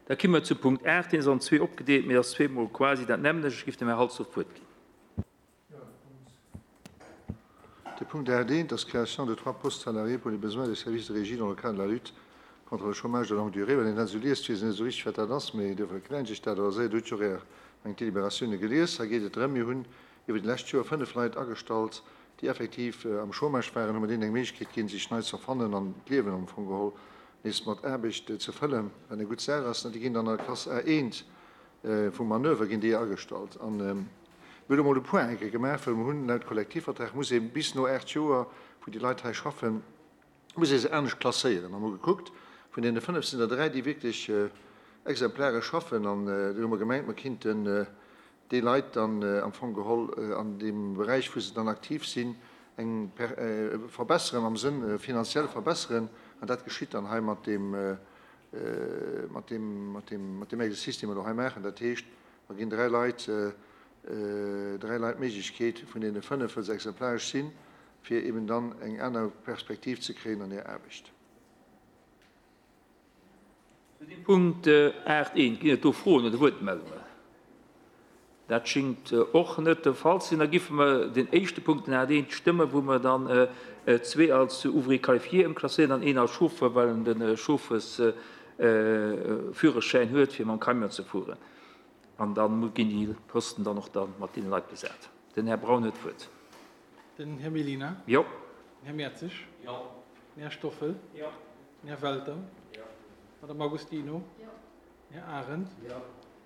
Da komme mer zu Punkt 8, deen ass an zwee opgedeelt, mee ass zweemol quasi dat nämmlecht. Ech géif dem Här Halsdorf d'Wuert ginn. De Punkt 8 eent ass d'Création de trois postes salariés pour les besoins des services de régie dans le cadre de la lutte contre le chômage de longue durée. Wann een dat esou liest, weess een net esou richteg, wat dat ass, mee duerfir erklären ech dat. Also, Dir hutt jo och Är meng Deliberatioune gelies. Hei geet et drëm, mir hunn iwwer déi lescht Joer fënnef Leit agestallt, déi effektiv am Chômage waren, hu mer deenen eng Méiglechkeet ginn, sech nei ze erfannen an d'Liewen am Fong geholl nees mat Aarbecht ze fëllen, wat eng gutt Saach ass. Déi ginn dann an der Klass A1 vum Manöver ginn déi agestallt. An mir hunn elo mol de Point eng Kéier gemaach, well mer hunn laut Kollektivvertrag muss ee bis no 8 Joer, wou déi Leit hei schaffen, muss ee se anescht klasséieren. A mer hu gekuckt, vun deene 5 sinn der 3, déi wierklech exemplaresch schaffen. An do hu mer gemengt, mer kinnten déi Leit dann am Fong geholl an deem Beräich, wou se dann aktiv sinn, eng verbesseren, am Sënn finanziell verbesseren. An dat geschitt dann hei mat deem, mat deem, mat deem, mat deem Exercice, dee mer elo hei maachen. Dat heescht, mer ginn 3 Leit, 3 Leit d'Méiglechkeet, vun deene 5, wëll se exemplaresch sinn, fir eben dann eng aner Perspektiv ze kréien an hir Aarbecht. Zu deem Punkt 8 I, ginn et do Froen oder Wuertmeldungen? Dat schingt och net de Fall ze sinn. Da giffe mer den éischte Punkt, den 8 I, stëmmen, wou mer dann zwee als Ouvrier qualifié ëmklasséieren an een als Chauffeur, well en de Chauffersführerschäin huet, fir mam Camion ze fueren. An da ginn déi Posten dann och da mat deene Leit besat. Den Här Braun huet d'Wuert. Den Här Mellina. Jo. Den Här Mertzig. Jo. Den Här Stoffel. Jo. Den Här Welter. Jo. D'Madame Agostino. Jo. Den Här Arendt. Jo.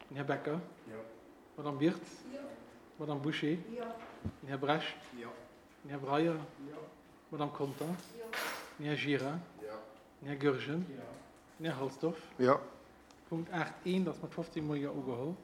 Den Här Becker. Jo. D'Madame Wirtz. Jo. D'Madame Bouché. Jo. Den Här Brecht. Jo. Den Här Breyer. Jo. D'Madame Conter. Jo. Den Här Gira. Jo. Den Här Goergen. Jo. Den Här Halsdorf. Jo. Punkt 8 I ass mat 15 Mol Jo ugeholl.